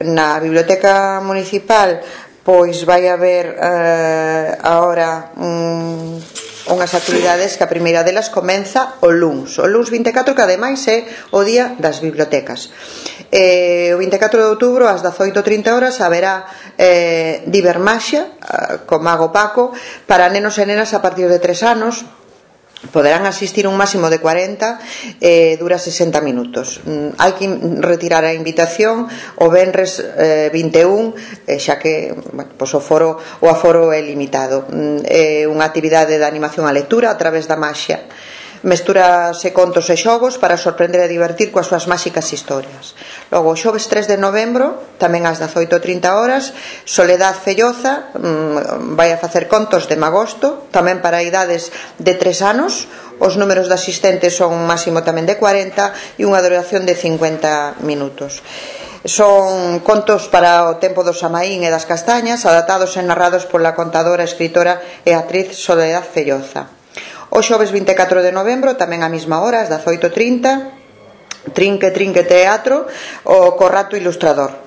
Na Biblioteca Municipal pois vai haber agora unhas actividades que a primeira delas comeza o luns 24, que ademais é o día das bibliotecas. O 24 de outubro ás 18:30 haberá Divermaxia co Mago Paco para nenos e nenas a partir de 3 anos. Poderán asistir un máximo de 40, dura 60 minutos. Hai que retirar a invitación o venres 21, xa que o aforo é limitado. É unha actividade de animación á lectura a través da maxia. Mestúrase contos e xogos para sorprender e divertir coas súas máxicas historias. Logo, o xoves 3 de novembro, tamén ás 18:30, Soledad Felloza vai a facer contos de magosto, tamén para idades de 3 anos. Os números de asistentes son un máximo tamén de 40 e unha duración de 50 minutos. Son contos para o tempo do Samaín e das castañas, adaptados e narrados pola contadora, escritora e actriz Soledad Felloza. O xoves 24 de novembro, tamén á mesma hora, ás 18:30, Trinque Teatro, o Corrato Ilustrador.